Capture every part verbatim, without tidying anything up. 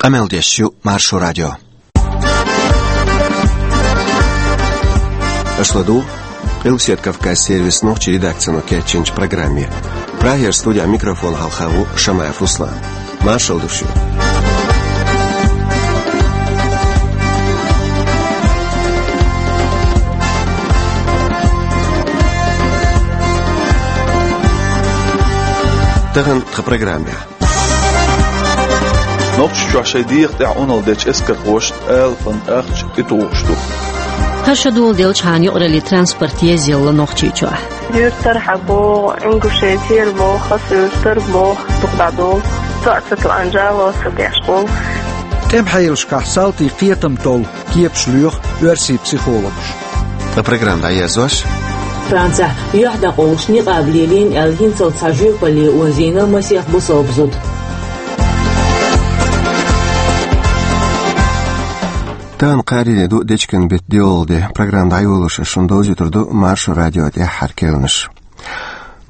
Къамел деш ю Маршо радио. Аша ладугӀу Къилбаседа Кавказ сервисан нохчийн редакцино кечйинчу программе. Прагера студехь микрофон хьалха ву Шамаев Руслан. Маршалла ду шуьга. Тахана тхан программехь. Нохчийчохь шайн дегӀан тӀехь Ӏуналла дечу эскархошна алапан ахча тӀетухуш ду. ХӀара шо доладелчхьана юкъараллин транспорт езъелла Нохчийчохь. Юьртара хьабогӀу, Ингушетера богӀу, Хасуьртара богӀу, дукха дӀадолу. Со а ца тоьъна, жало а ца деш болу. ТӀеман хьелашкахь салтийн кхетам толу кепаш лоьху оьрсийн психологаша. Тхан программа дӀаерзош. Францехь юьхь дӀакъовлуш никъаб лелийна аьлла, хӀинццалц цхьа жоьпалле озийна масех бусалба зуда. Тахана кхаарин де ду, дечиган беттан доьалгӀа де. Программа дӀайолош ас шуна довзуьйтур ду Маршо радион тӀаьххьара керланаш.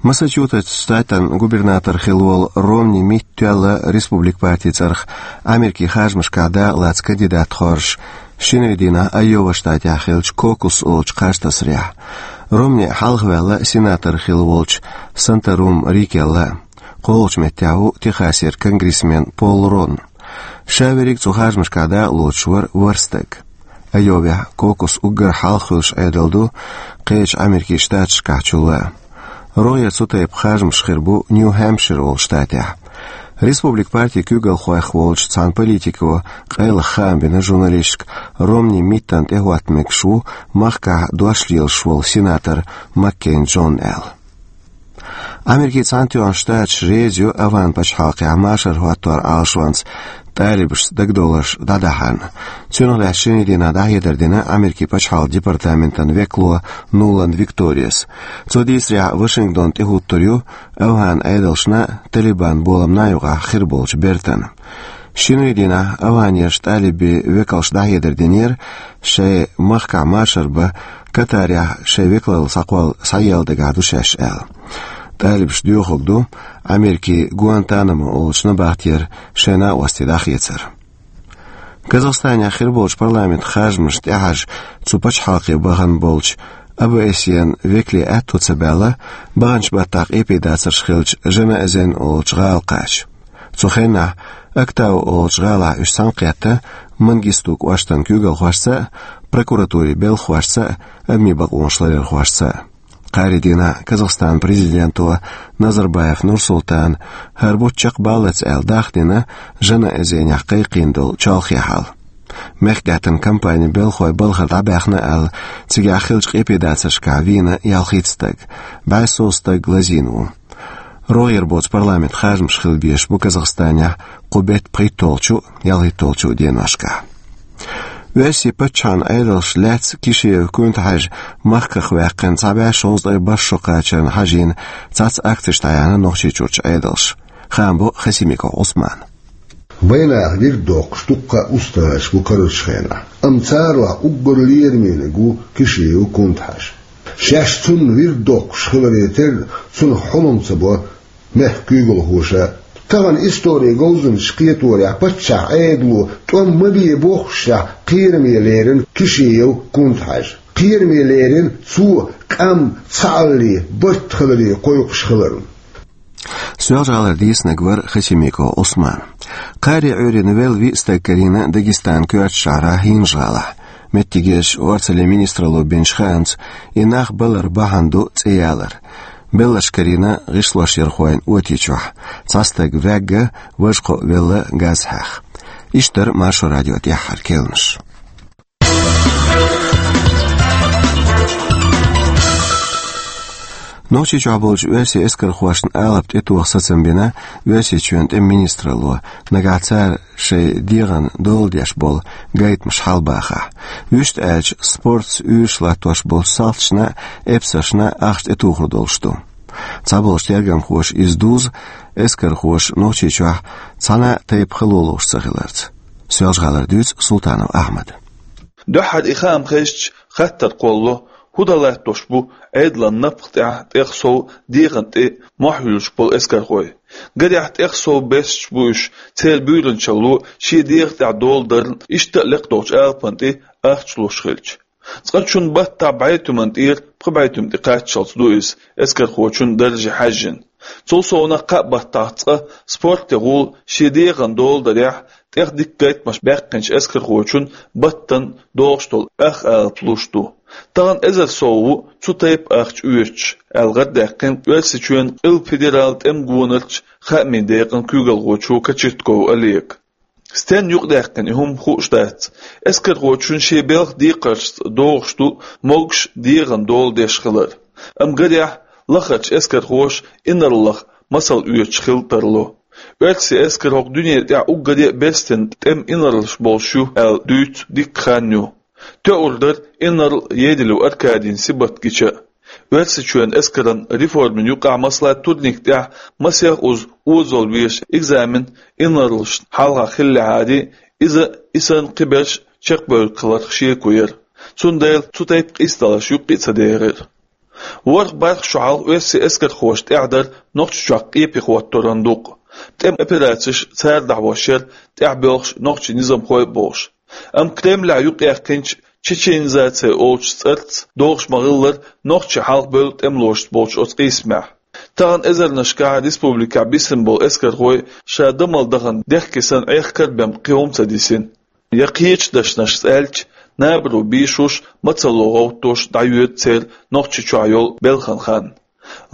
Массачусетс штатан губернатор хилла волу Ромни Митт тоьлла Республикан партин цӀарах Америкин харжамашкахь дакъалаца кандидат хоржуш, шинарин дийнахь Айова штатехь хиллачу Кокус олучу кхаж тасарехь. Ромни хьалхаваьлла сенатор хилла волчу Санторум Рикелла. КхоалгӀачу меттехь ву Техасера конгрессмен Пол Рон. Ша верриг цу харжамашкахь дакъалоцуш вара ворхӀ стаг. Айовехь Кокус уггар хьалха хуьлуш Ӏедал ду кхечу Америкин штаташкахь чулла. РогӀера цу тайпа харжамаш хир бу Нью-Хэмпшир олу штатехь. Республикан партин куьйгалхойх волчу цхьана политико къайлаха хаам бина журналисташка, Ромни Миттана тӀехӀотта мегаш ву махкахь дош лелаш волу сенатор Маккейн Джон аьлла. Америкин Цхьаьнатоьхна Штаташ реза ю АфгӀан пачхьалкхехь машар хӀоттор Ӏалашонца талибашца дагадовларш дӀадахьарна. Цунах лаьцна шинарин дийнахь дӀахьедар дина Америкин пачхьалкхан департаментан векало Нуланд Викториас. Цо дийцарехь, Вашингтон тӀехӀуттур ю АфгӀан Ӏедалшна а, Талибан боламна а юкъахь хир болчу бертан. Шинарин дийнахь АфгӀанера талибийн векалша дӀахьедар динера, шайн махкахь машар бан Катарехь шайн векалалла схьакхолла схьаелла дагахь ду шаьш аьлла. Талибаш доьхург ду Америкин Гуантанамо олучу набахтера шайн накъостий дӀахецар. Казахстанехь хир болчу парламентан харжамашна тӀехьажа цу пачхьалкхе бахана болчу ОБСЕ-н векалийн аьтто ца баьлла, баханчу баттахь къепедацарш хиллачу Жанаэзен олучу гӀала кхача. Цу хенахь Актау олучу гӀалахь уьш цхьаьнакхетта Мангисту кӀоштан куьйгалхошца а, прокуратурин белхахошца а, адамийн бакъонаш ларъярхошца а. Кхаарин дийнахь Казахстанан президенто Назарбаев Нурсултана хӀара бутт чекхбаллалц аьлла дахдина Жанаэзенехь кхайкхийна долу чолхе хьал. Мехкдаьттан кампанин белхахой балхара дӀабаьхна аьлла, цигахь хиллачу къепедацаршкахь вийна ялхитта стаг, бӀе сов стаг лазийна ву. РогӀера боцу парламентан харжамаш хила безаш бу Казахстанехь кху беттан пхийтталгӀачу а, ялхитталгӀачу а деношкахь. Оьрсийн паччахьан Ӏедалш лаьцна Кишинев-Куьнтхьажа махках ваьккхина цхьа бӀе шовзткъе бархӀ шо кхачарна хьажийна цхьацца акцеш дӀаяьхьна Нохчийчуьрчу Ӏедалша. Хаам бо Хасимиков Ӏусмана. Вайнаха вирд доккхуш дуккха а устагӀаш бу карарчу хенахь, амма царах уггар лерамийнарг ву Кишинев-Куьнтхьажа. Шаьш цунна вирд доккхуш хиларе терра, цунах хьулам ца бо мехкан куьйгалхоша. Тахана историн говзанчаша кхеторехь, паччахьан Ӏедало тӀом ма бе боххушехь, кхераме лерина Кишинев-Куьнтхьажа. Кхераме лерина цо къам цхьаалле, барт хиларе кхойкхуш хиларна. Соьлжа-ГӀалара дийцинарг вара Хасимиков Ӏусман. Кхаари Ӏуьйранна велла виъ стаг карийна Дагестанан коьртачу шахьарахь ХӀинжа-ГӀалахь. Меттигерчу орцаллин министралло бинчу хаамца, и нах балар бахьана ду цӀе ялар. Белларш карийна гӀишлошъярхойн оти чохь. Цхьа стаг ваьгна, важа кхоъ велла газ хьаьхна. Иштта дара Маршо радион тӀаьххьара керланаш. Нохчийчохь болчу оьрсийн эскархошна алапа тӀетоха сацам бина Оьрсийчоьнан тӀеман министралло, нагахь цара шайн дегӀан дола деш болу гайтамаш хьалабахахь. Вуьшта аьлча, спортаца уьйраш латтош болчу салташна а, эпсаршна а ахча тӀетухур долуш ду. Цхьаболчу тергамхоша иза дузу, эскархоша Нохчийчохь цхьана а тайпа хало лууш ца хиларца. Соьлжа-ГӀалара дуьйцу Султанов Ахьмада. Дуьххьара и хаам хезча, хаттар кхолло, ХӀун дан латтош бу Ӏедалан напха тӀехь тӀех сов дегӀан тӀе мохь юьллуш болу эскархой? Гарехь, тӀех сов бесаш бу уьш, церан буьйранчалло шен дегӀа тӀехь дола дарна, иштта а лекхдолчу алапан тӀе ахча луш хилча. Цкъачунна баттахь бӀе туьман тӀера пхи бӀе туьма тӀе кхаччалц ду иза, эскархочун дарже хьаьжжина. Цул совнаха, кхаа баттахь цкъа спорте гӀула шен дегӀан дола дарехь, тӀех дика гайтамаш баьккхинчу эскархочун баттана догӀуш долу ах алапа луш ду. Тахана эзар сов ву цу тайпа ахча оьцуш, аьлла гӀардаьккхина Оьрсийчоьнан къилба федералан тӀеман гонарчу хаамийн декъан куьйгалхочо Кочетков Олега. Стенна юкъадаьккхина и хӀума хууш дац. Эскархочун шен белхан декхаршца догӀуш ду могуш дегӀан дола деш хилар. Амма гарехь, лахарчу эскархоша инарлах масал оьцуш хила тарло. Оьрсийн эскар хӀокху дуьнен тӀехь уггаре а берстина тӀеман инарлаш болуш ю аьлла дуьйцу дикка хан ю. ТоьурдӀа инарла Едилев Аркадийна сибат гича а. Оьрсийчоьнан эскаран реформин юкъахь, масала, турникан тӀехь масех уза озалла везаш экзамен инарлашна хьалха хиллехьара, иза и санна кхиберш чекхбевлла хиларх шеко яра. Цундела цу тайпа къийсадаларш юккъе а ца дерира. ВорхӀ бархӀ шо хьалха оьрсийн эскархоша тӀехь дара Нохчийчохь къепе хӀоттаран дукъ. ТӀеман операцеш цара дӀахьош яра, тӀехь боьлхуш нохчийн низамхой а бохуш. Амма Кремлехь юкъаяьккхинчу чеченизация олучу цӀарца догӀуш ма-хиллара, нохчий хьалхабевлла тӀемалошца болчу оцу къийсамехь. Тахана эзарнашкахь республикехь бисина болу эскархой ша дан мел дахана дехке санна Ӏехкар а бен кхин хӀума ца дисина. Я кхечу дашнашца аьлча, набаро бийшош, мацалло гӀовттош дӀайоьду церан Нохчийчохь йолу белхан хан.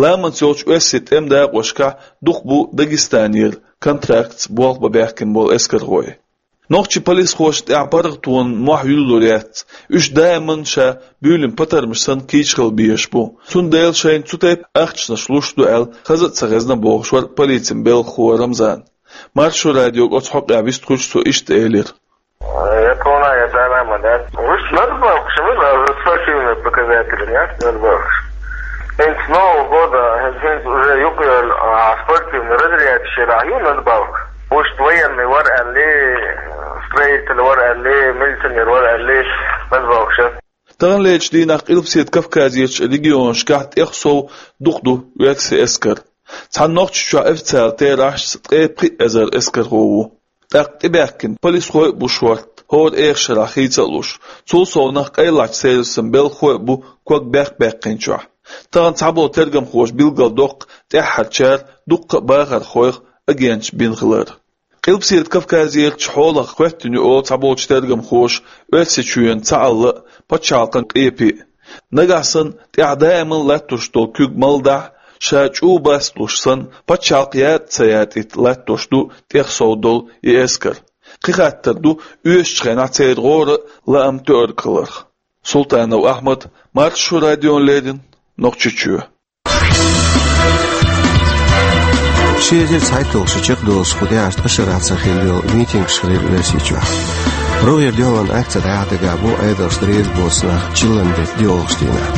Ламанца йолчу оьрсийн тӀеман дакъошкахь дукха бу Дагестанера контрактца болх бан баьхкина болу эскархой. Нохчийн полисхошна тӀехь паргӀатонан мохь юьллур яц. Уьш даиман ша буьйлина патармаш санна кийча хила безаш бу. Цундела шайна цу тайпа ахчанаш луш ду аьлла, хаза а ца хезна бохуш вара полицин белхахо Рамзан. Маршо радиога оцу хьокъехь вистхуьлуш, цо иштта элира. Я полная, я даиман, да? Уж надбавка, что мы за спортивные показатели, нет? Надбавка. ХӀинца нового года, хӀинца уже юкъа йолу, а, спортивный разрядчикаш ю надбавка. Пусть военный вар аьлла, строитель вар аьлла, милиционер вар аьлла, надбавка ша. Таханлерчу дийнахь Къилбаседа Кавказерчу регионашкахь тӀех сов дукха ду оьрсийн эскар. Цхьана Нохчийчохь официалан терахьашца ткъе пхи эзар эскархо ву. ТӀаккха тӀебаьхкина полисхой а бу шортта, хӀора эха шарахь хийца а луш. Цул совнаха къайлахчу сервисан белхахой а бу ког бехк баьккхинчохь. Тахана цхьаболу тергамхоша билгалдоккху тӀаьххьарчара дуккха а бахархойх агенташ бина хилар. Къилбаседа Кавказерчу хьолах хӀоьттина ю олу цхьаболчу тергамхоша Оьрсийчоьнан цхьаалла а, пачхьалкхан къепе а. Нагахь санна тӀехь даиман латтош долу куьг малдахь, ша чӀу баслуш санна, пачхьалкх ятӀа ца ятӀийта латтош ду тӀех сов долу и эскар. Кхин хаттар ду оьшучу хенахь церан гӀора а, лаам тоьарг хиларх. Султанов Ахьмад, Маршо радиона леррина, Нохчийчоь. Ши эзар цхьайтталгӀа шо чекхдолуш кху тӀаьхьарчу ткъа шарахь ца хилла йолу митингаш хилира Оьрсийчохь. РогӀера дуьхьалан акци дӀахьа дагахь бу Ӏедалша реза боцу нах чиллан бетта доьалгӀачу дийнахь.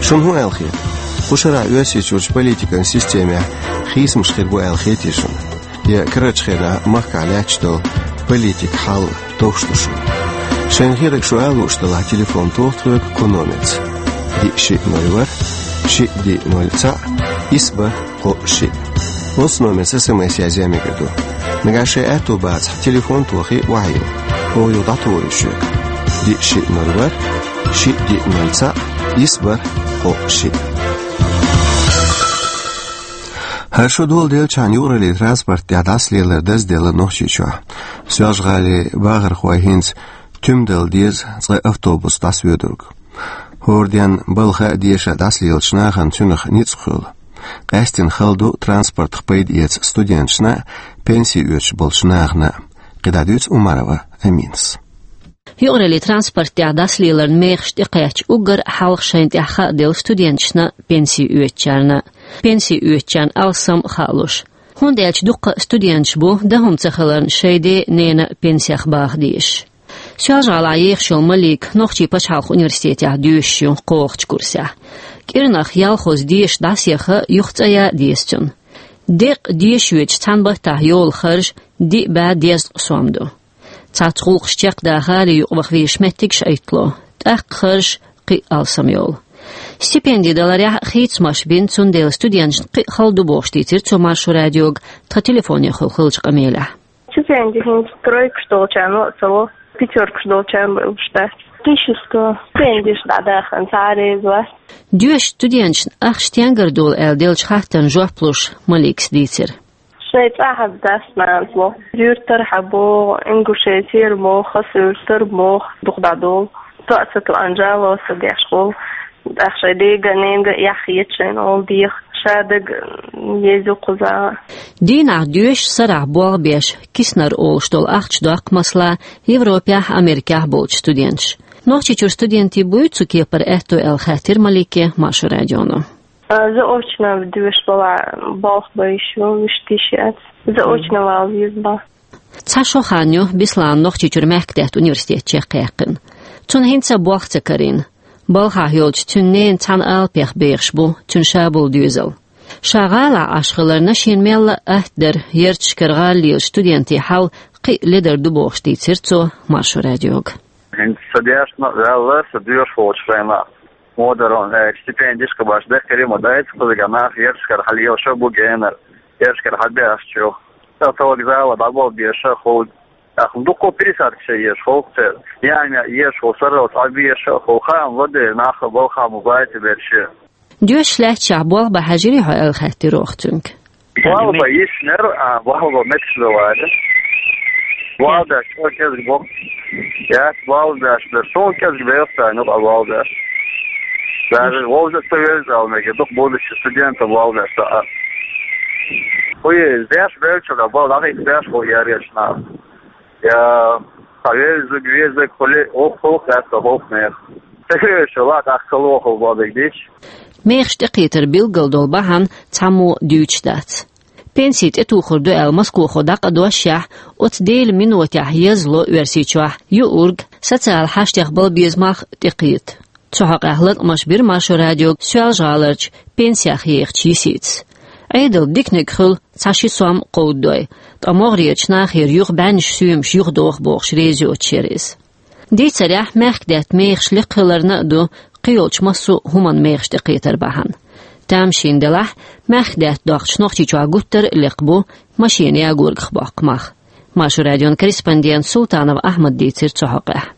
Шуна хӀун аьлла хета? Кху шарахь Оьрсийчуьрчу политикан системехь хийцамаш хир бу аьлла хетий шуна? Я карарчу хенахь махкахь лаьтташ долу политикан хьал товш ду шуна? Шайна хетарг шу ала лууш делахь, телефон тоха тхоьга кху номерца: диъ шиъ ноль ворхӀ, шиъ диъ ноль цхьаъ, исс бархӀ кхоъ шиъ. Оцу номерца СМС язъян мегар ду. Нагахь шайн аьтто бацахь, телефон тохий, охьайилла. Оха юха дӀатухур ю шуьга: диъ шиъ ноль ворхӀ, шиъ диъ ноль цхьаъ, исс бархӀ кхоъ шиъ. ХӀара шо доладелчхьана юкъараллин транспорт тӀехь дӀасалелар дазделла Нохчийчохь. Соьлжа-ГӀалин бахархой хӀинца туьма дала деза цкъа автобус дӀасавоьдург. ХӀора денна балха а, деша а дӀасалелачу нахана цуьнах ницкъ хуьлу. Къаьстина хала ду транспортах пайда эца студенташна а, пенси оьцуш болчу нахана а. КхидӀа дуьйцу Умарова Аминас. Юкъараллин транспорт тӀехь дӀасалеларан мехаш тӀекхаьчча, уггар а хьалха шайна тӀехь хаа делла студенташна а, пенси оьцучарна а. Пенси оьцучарна алсам а хаалуш. ХӀунда аьлча дуккха а студенташ бу, дан хӀума ца хиларна, шайн ден а, ненан а пенсех баха дезаш. Соьлжа-ГӀалахь ехаш йолу Малик нохчийн пачхьалкхан университетехь доьшуш ю кхоалгӀачу курсехь. КӀирнах ялхозза деша дӀасаяха, юха цӀа ян а деза цунна. Деккъа деша йоьдучу цхьана баттахь йолу харж диъ бӀе дезткъа сом ду. Цхьацца гӀуллакхаш чекхдахар, юкъа ваха везаш меттигаш а Ӏиттало, тӀаккха харж кхин а алсам йолу. Стипенди даларехь хийцамаш бина, цундела студенташна кхин а хала ду бохуш дийцира цо Маршо радиога тхан телефонехула хиллачу къамелехь. Стипенди хӀинца тройкаш долчарна а ца ло, пятёркаш долчарна а луш дац. Тысяча сто. Стипендиш дӀадахана цхьа а реза вац. Доьшучу студенташна ахча стенгара долу аьлла деллачу хаттарна жоп луш, Маликас дийцира. Шайн цӀахь а дац нана боху. Юьртара хьан боху, Ингушетера боху, Хасавюртара боху, дукха дӀадолу. Тоъа ца тоъана жало ца деш волу. ТӀаккха шайн дега а, ненга а эхь хета шайна олу деха. Ша дага еза кхузахь. Дийнахь доьшуш, сарахь болх беш, киснар олуш долу ахча доккху, масала, Европехь а, Америкехь а болчу студенташа. Нохчийчуьра студентийн буй цу кепара аьтто аьлла хаьттира Малике Маршо радионо. А, заочно доьшуш балахь болх бан йиш ю, вуьшта йиш яц. Заочно вала веза бан. Цхьа шо хан ю Беслана Нохчийчуьра мехкадаьтта университет чекхъяьккхина. Цунна хӀинца а болх ца карийна. Балхахь йолчу цуьнан ненан цхьана алапех бехаш бу цуьнан шаболу доьзал. Ша гӀалахь Ӏаш хиларна, шена мелла а атта дара ярташкара гӀала лелачу студентийн хьал кхин а ледар ду бохуш дийцира цо Маршо радиога. ХӀинца сан дешна а ваьлла, сан доьшуш волчу хенахь, модаран, э, стипендиш кхабаш деккхире ма дайца, кхузахь нах ярташкара хьалелаш а бу генара, ярташкара хьабаьхча ю. Сан товг зала дӀабала беша а ховлу. Ахма дуккха пересадка ша еш ховлу церан. Яа-яа еш ховлу, сарралц Ӏа беша а ховлу, хаам ладе нах а балхахь ма баьйта берш. Доьшуш лаьтташехь болх бан хьаьжирий хьо аьлла хаьттира оха цуьнга. Болх бан йиш яра, а, болх бан метташ ду вайна. Болх беш чӀогӀа кӀезиг бу. Яц болх беш бер. Суна кӀезиг бер ца ю, а болх беш. Даже вовза ца веза аьлла мега, дукха будущий студентам болх беш ца а. Хьуй, деш бер чу да, болх дӀахӀитта беш хьуй яреш нах. Я, хьан везаг, везаг, хуьле, оха, оха, лаьцна, оха, нех. Ца хевшала, тӀаккха лохал бабиг дича. Мехаш тӀекхетар билггал долу бахьана цхьаммо дуьйцуш дац. Пенси тӀетухур ду аьлла Москвахо дӀакъа дош яхь, оцу дели минотехь язло Оьрсийчохь юург социал хьаштех бала безамах тӀекхета. Цу хьокъехь латкъамаш бира Маршо радиога Соьлжа-ГӀаларчу пенсех ехачу йисица. Ӏедал диканиг хуьлу цхьа-ши сом кховдадой, ткъа могӀарерчу нахера юха бӀеннаш соьмаш юхадоху бохуш реза йоцуш яра иза. Дийцарехь, мехкадаьтта мехаш лекха хиларна а ду кхийолчу массо а хӀуманан мехаш тӀекхетар бахьана. Тамашийна делахь, мехкадаьтта доккхучу Нохчийчохь гуттар а лекха бу машена ягоргах боккху мах. Маршо радион корреспондента Султанов Ахьмада дийцира цу хьокъехь.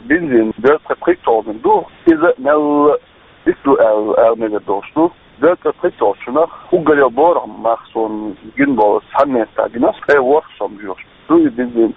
Бензин дезткъе пхийтта доллар ду, иза мелла дика ду аьлла, аьлла мегар долуш ду. Дезткъе пхийтта долларчунах уггаре борах мах суна гина болу цхьана метта гина, ткъе ворхӀ сом доьхуш ду и бензин.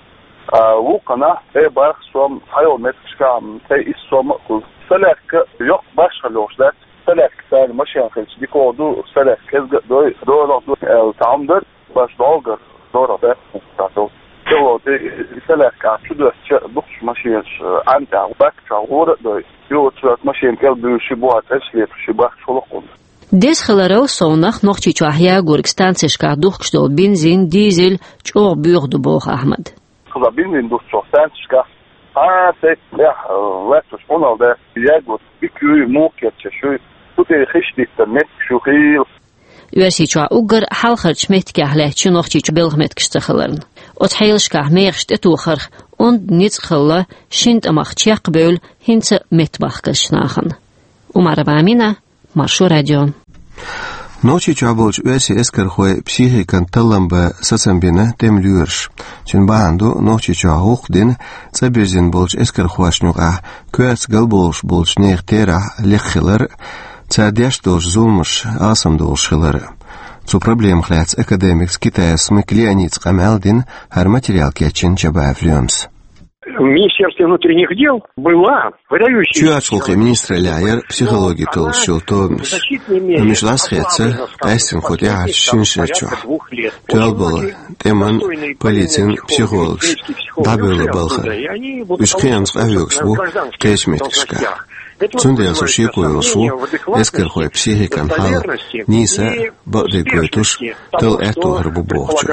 А вукханахь ткъе барх сом, цхьайолу меттигашкахь ткъе исс сом а хуьлу. Солярка йоккха башха лоьхуш дац. Солярка царна машен хилча дика ду, солярка кӀезга а дой, дорах а ду аьлла, цхьа хӀума дара. Баш долгар дора бехк хӀума ца тов. Село де, и солярка чу доьссича, дукхачу машенаш, э, ӀантӀехь бак чохь гӀора а дой, юха цоьрта машен кӀел буьйлуш ши бохьа тӀе а лепаш, ши бахча хӀуллакх хӀума. Деза хиларал совнах Нохчийчохь ягорг станцешкахь духкуш долу бензин, дизель чӀогӀа боьха ду, боху Ахьмада. Хаза бензин духкучохь станцешкахь, а, тӀехь, э, лаьтташ Ӏуналла дац, ягорг дика юй, муха кечъеш юй, кху тӀе хиш диттар меттигаш ю хийла. Оьрсийчохь уггар хьалхарчу меттигех лаьтташ ю Нохчийчу белхан меттигаш ца хиларна. Оцу хьелашкахь мехаш тӀетохарх онда ницкъ хилла, шина тӀамах чекх а бевлла, хӀинца меттамах кхаьчначу нахана. Умарова Амина, Маршо радио. Нохчийчохь болчу оьрсийн эскархойн психикан таллам бан сацам бина тӀеман лоьраша. Цуьнан бахьана ду Нохчийчохь гӀуллакх дина, цӀа бирзина болчу эскархошна юкъахь коьрта галбовлуш болчу нехан терахь лекха хилар а, цара деш долчу зуламаша алсамдолуш хилар а. Цу проблемах лаьцна академикца Китаев Смык Леонидца къамел дина хӀара материал кечйина Чабаев Лоьмас. В Министерстве внутренних дел была выдающаяся... Чоьхьарчу гӀуллакхийн министраллехь яра психологи толлуш йолу тобанаш. Амма уьш дӀасахецна къаьсттина кху тӀаьхьарчу шина шера чохь. Тоьлла болу тӀеман, полицин психологаш дӀабевлла балхара. Уьш кхиамца къахьоьгуш бу кхечу меттигашкахь. Цундела со шеко йолуш ву, эскархойн психикан хьал нийса а, бакъдерг гойтуш, талла аьтто хир бу бохучух.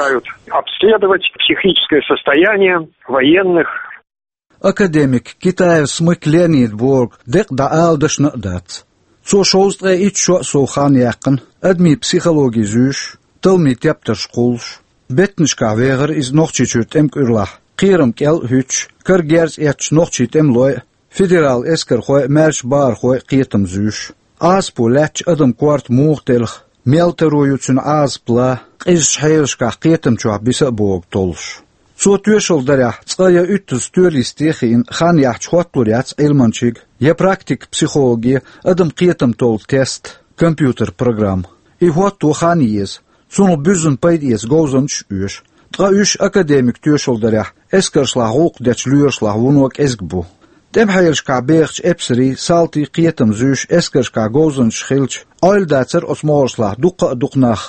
Обследовать психическое состояние военных. Академик Китаев Смык Леонид бохург декъа дӀаала дашна а дац. Цо шовзткъе итт шо а сов хан яьккхина, адамийн психологи зуьйш, талламийн тептарш кхуллуш. Беттанашкахь вехара иза Нохчийчуьра тӀеман кӀуьрлахь, кхерам кӀел а хӀуьттуш, кара герз эцначу нохчийн тӀемалойн а, федерал эскархой, маьрша бахархой кхетам зуьйш. Ӏазапо лаьттача адам корта муха телха, мел таро ю цуьнан Ӏазап лан, къизачу хьелашкахь кхетам чохь биса а богу толлуш. Цо тоьшалла дарехь, цкъа я уьттазза туьристе а хиъна, хан яхьча хотталур яц Ӏилманчига я практик психологе адам кхетам толлу тест, компьютер программа. И хӀотто хан еза, цунах буьззина пайда эца говзанчаш а оьшу. Ткъа уьш академик тоьшалла дарехь, эскаршлахь гӀуллакх дечу лоьрашлахь вуно кӀезиг бу. ТӀемахьелашкахь бехачу эпсарийн, салтийн кхетам зуьйш эскаршкахь говзанчаш хилча, Ӏойла дацара оцу могӀаршлахь дуккха а дукха нах.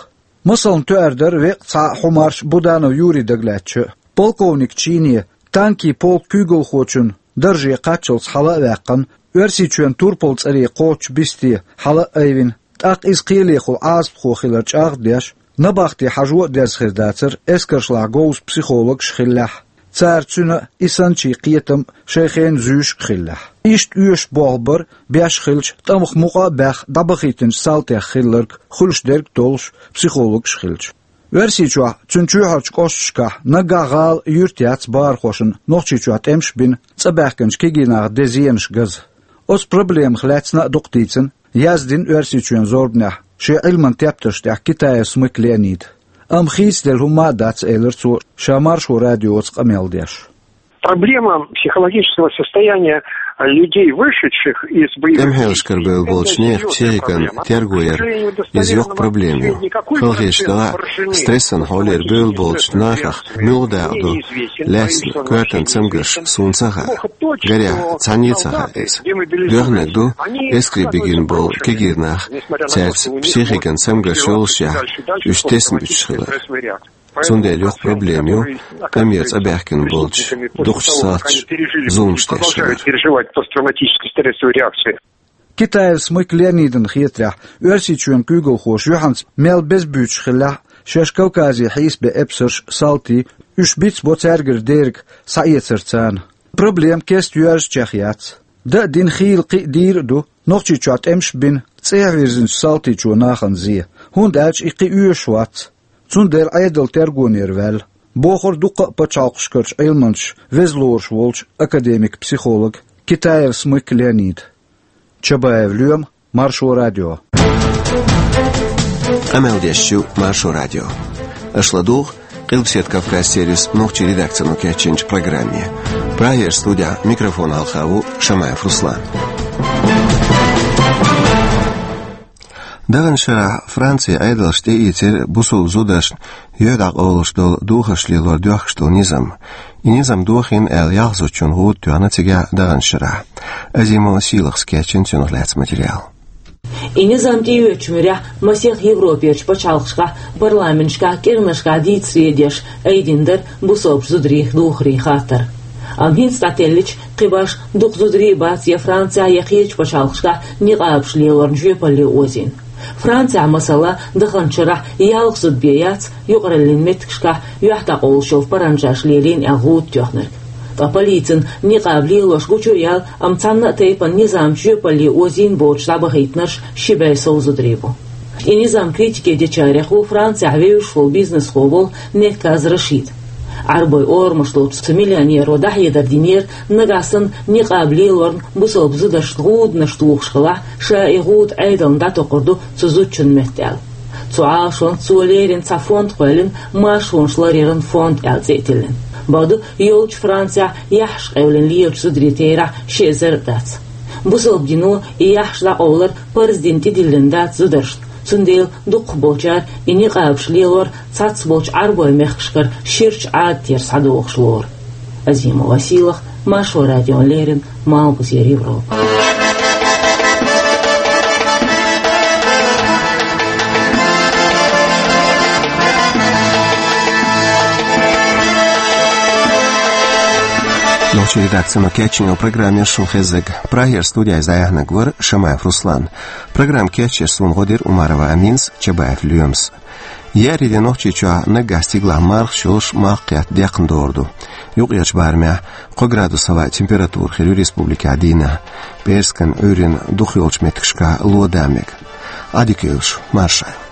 Масална, тоьар дара веккъа цхьаъ хьу марш Буданов Юрий дагалаьцча, полковник чине, танкийн полк куьйгалхочун дарже кхаччалц хьала а ваьккхина, Оьрсийчоьнан турпал цӀаре кхочучу бисте хьала а айвина, тӀаккха иза кхелехула Ӏазапхо хилар чӀагӀ а деш, набахте хьажо а деза хир дацара эскаршлахь говза психологаш хиллехь, цара цуьнан а, и санначийн кхетам а шайн хенахь зуьйш а хиллехь. Иштта оьшуш болх бара, беш хилча, тӀамах мукъа а баьхна, дӀабахийтинчу салтех хилларг хуьлуш дерг а толлуш, психологаш хилча. Оьрсийчохь, цуьнан чоьхьарчу кӀошташкахь, наггахь гӀала, юрт яц бахархошна Нохчийчохь тӀемаш бина, цӀа баьхкинчу кегий наха ден зенаш газа. Оцу проблемах лаьцна а дукха дийцина, яздина Оьрсийчоьнан зорбанехь шен Ӏилманан тептарш тӀехь Китаев Смык Леонида. Амма хийцаделла хӀумма а дац, элира цо, ша Маршо радиоца къамел деш. Проблема психологического состояния людей, вышедших из боевых ТӀемахьелашкара бевлла болчу нехан психикан терго яр, иза йоккха проблема ю. Хала хеташ делахь а, стрессан хьолера бевлла болчу нахах муьлха дакъа ду лаьцна коьртан цамгарш суна ца хаьа. Гарехь, цхьанне а ца хаьа иза. Доьхнарг ду, эскаре бигина болу кегийра нах, цаьрца психикан цамгарш йолушшехь, уьш тесна буьтуш хилар. Цундела йоккха проблема ю къамеле цӀа баьхкина болчу дукхачу салташа зуламаш деш хилар. Переживать посттравматический стрессовый реакции. Китаев Смык Леонидана хетарехь, Оьрсийчоьнан куьйгалхоша юьхьанца мел беза буьйцуш хиллехь а, шаьш Кавказе хьийсабен эпсарш а, салтий а, уьш бицбо цаьргара дерг схьаэцар царна. Проблема кеста йоьрзучех яц. Дан а дина, хийла кхин а дийр а ду Нохчийчохь тӀемаш бина, цӀехьа вирзинчу салтичо нахана зен, хӀунда аьлча и кхин оьшуш вац. Цундела Ӏедал тергонера ваьлла, бохура дуккха а пачхьалкхашкарчу Ӏилманчаша веза лоруш волчу академик-психолога Китаев Смык Леонида. Чабаев Лоьма, Маршо радио. Къамел деш ю Маршо радио. Аша ладугӀу Къилбаседа Кавказ сервисан нохчийн редакцино кечйинчу программе. Прагера студехь микрофон хьалха ву Шамаев Руслан. Даханчу шарахь Францин Ӏедалша тӀеийцира бусалба зударшна юьхь дӀакъовлуш долу духарш лелор доьхкуш долу низам. И низам дохийна аьлла, ялх зудчунна гӀуда тоьхна цигахь даханчу шарахь. Азимова Сийлахас кечйина цунах лаьцна материал. И низам тӀеоьцучу муьрехь масех Европерчу пачхьалкхашкахь, парламенташкахь, кӀиранашкахь дийцаре деш айдина дара бусалбачу зударийн духаран хаттар. Амма хӀинца дӀателлича, кхин башха дукха зударий бац я Францехь, я кхечу пачхьалкхашкахь никъабаш лелорна жоьпалле озийна. Францехь, масала, даханчу шарахь ялх зуда бен яц юкъараллин меттигашкахь юьхь дӀакъовлуш йолу паранжаш лелийна аьлла гӀуда тоьхнарг. Ткъа полицина никъаб лелош гучу а яьлла, амма цхьанна а тайпана низам жоьпалле озийна боцуш дӀабахийтинарш ши бӀе сов зударий бу. И низам критике дечарех ву Францехь вевзаш волу бизнесхо волу Некказ Рашид. Ӏарбойн орамаш долчу цу миллионеро дӀахьедар динера, нагахь санна никъаб лелорна бусалба зударшна гӀуданаш тухуш хилахь, ша и гӀуда Ӏедална дӀатокхур ду цу зудчун метта аьлла. Цу Ӏалашонца цо леррина цхьа фонд кхоьллина, маршонаш ларъяран фонд аьлла цӀе а тиллина. Бакъду, йолчу Францехь яххьаш къевлина лелачу зударийн терахь ши эзар а дац. Бусалба дино и яххьаш дӀакъовлар парз дина тӀедиллина дац зударшна, цундела дукхахболчара и никъабаш лелор цхьаццаболчу Ӏарбойн мехкашкара ширачу Ӏадатера схьадогӀуш лору. Азимова Сийлаха, Маршо радиона леррина, Малхбузера Европа. Нохчийн редакцино кечйина йолу программа шуна хезнарг. Прагера студехь иза дӀаяьхьнарг вара Шамаев Руслан. Программа кечъеш суна гӀо дира Умарова Аминас, Чабаев Лоьмас. Еарин де Нохчийчохь наггахь стигалахь мархаш йолуш малх кхетта декхна догӀур ду. Юккъерчу барамехь кхо градус хӀаваан температура хир ю республикехь дийнахь. ПӀераскан, Ӏуьйранна дукхах йолчу меттигашкахь ло дан мега. Ӏадика йойла шу, марша Ӏойла.